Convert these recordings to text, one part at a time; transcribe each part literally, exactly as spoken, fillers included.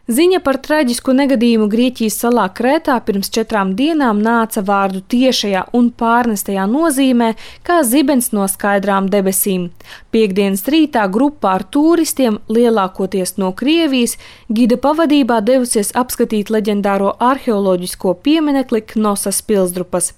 Ziņa par traģisku negadījumu Grieķijas salā Krētā pirms četrām dienām nāca vārdu tiešajā un pārnestajā nozīmē, kā zibens no skaidrām debesīm. Piektdienas rītā grupā ar tūristiem, lielākoties no Krievijas, gida pavadībā devusies apskatīt leģendāro arheoloģisko pieminekli Knosas pilsdrupas.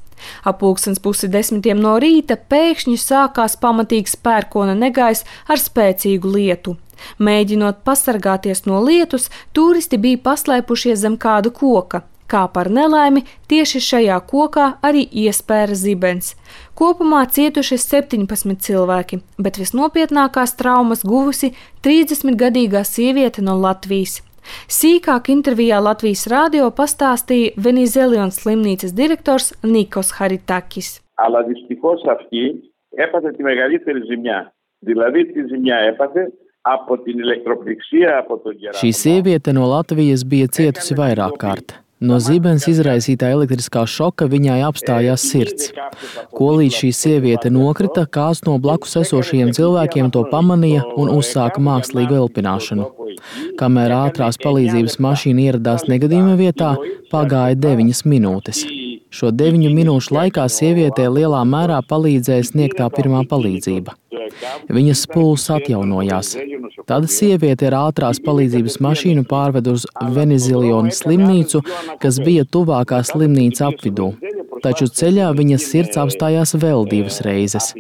Ap pulkstens pusi desmitiem no rīta pēkšņi sākās pamatīgs pērkona negaiss ar spēcīgu lietu. Mēģinot pasargāties no lietus, turisti bija paslēpušies zem kāda koka. Kā par nelaimi, tieši šajā kokā arī iespēra zibens. Kopumā cietuši septiņpadsmit cilvēki, bet visnopietnākās traumas guvusi trīsdesmitgadīgā sieviete no Latvijas. Sīkāk intervijā Latvijas radio pastāstīja Venizelions slimnīcas direktors Nikos Haritakis. Αλλά δυστυχώς αυτή έπαθε τη μεγαλύτερη ζημιά. Δηλαδή τη ζημιά έπαθε από την ηλεκτροπληξία από τον κεράμα. Šī sieviete no Latvijas bija cietusi vairāk kārt. No zibens izraisītā elektriskā šoka viņai apstājās sirds. Ko līdz šī sieviete nokrita, kāds no blakus esošajiem cilvēkiem to pamanīja un uzsāka mākslīgu elpināšanu. Kamēr ātrās palīdzības mašīna ieradās negadījuma vietā, pagāja deviņas minūtes. Šo deviņu minūšu laikā sievietē lielā mērā palīdzēja sniegtā pirmā palīdzība. Viņas pulss atjaunojās. Tad sieviete ar ātrās palīdzības mašīnu pārved uz Venizelionu slimnīcu, kas bija tuvākā slimnīca apvidū. Taču ceļā viņas sirds apstājās vēl divas reizes.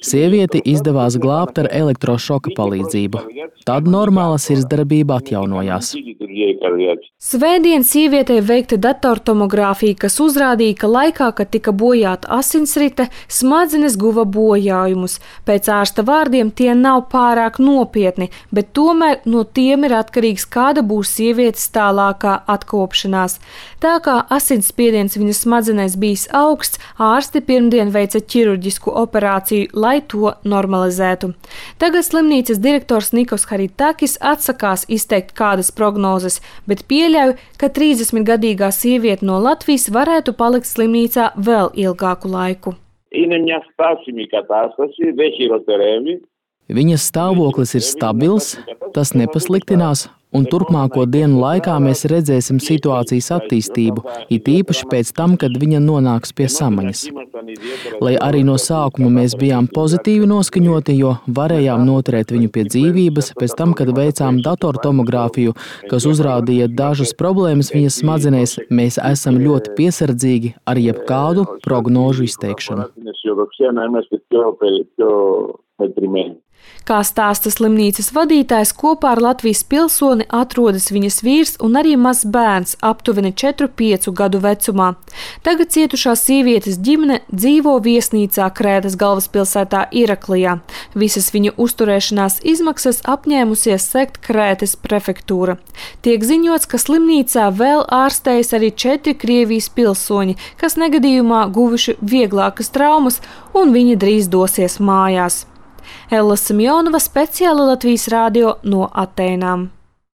Sievieti izdevās glābt ar elektrošoka palīdzību. Tad normāla sirdsdarbība atjaunojās. Svētdien sievietei veikta datortomogrāfija, kas uzrādīja, ka laikā, kad tika bojāta asinsrite, smadzenes guva bojājumus. Pēc ārsta vārdiem tie nav pārāk nopietni, bet tomēr no tiem ir atkarīgs, kāda būs sievietes tālākā atkopšanās. Tā kā asinsspiediens viņas smadzenēs bijis augsts, ārsti pirmdien veica ķirurģisku operāciju, lai to normalizētu. Tagad slimnīcas direktors Nikos Haritakis atsakās izteikt kādas prognozes, bet pieļauj, ka trīsdesmitgadīgā sieviete no Latvijas varētu palikt slimnīcā vēl ilgāku laiku. Viņas stāvoklis ir stabils, tas nepasliktinās, un turpmāko dienu laikā mēs redzēsim situācijas attīstību, it īpaši pēc tam, kad viņa nonāks pie samaņas. Lai arī no sākuma mēs bijām pozitīvi noskaņoti, jo varējām noturēt viņu pie dzīvības, pēc tam, kad veicām datortomogrāfiju, kas uzrādīja dažas problēmas viņas smadzenēs, mēs esam ļoti piesardzīgi ar jebkādu prognožu izteikšanu. Kā stāsta slimnīcas vadītājs, kopā ar Latvijas pilsoni atrodas viņas vīrs un arī mazs bērns, aptuveni četru piecu gadu vecumā. Tagad cietušās sievietes ģimene dzīvo viesnīcā Krētas galvaspilsētā Iraklijā. Visas viņa uzturēšanās izmaksas apņēmusies sekt Krētas prefektūra. Tiek ziņots, ka slimnīcā vēl ārstējas arī četri Krievijas pilsoņi, kas negadījumā guvuši vieglākas traumas, un viņi drīz dosies mājās. Ella Simjonova, speciāli Latvijas radio no Atēnām.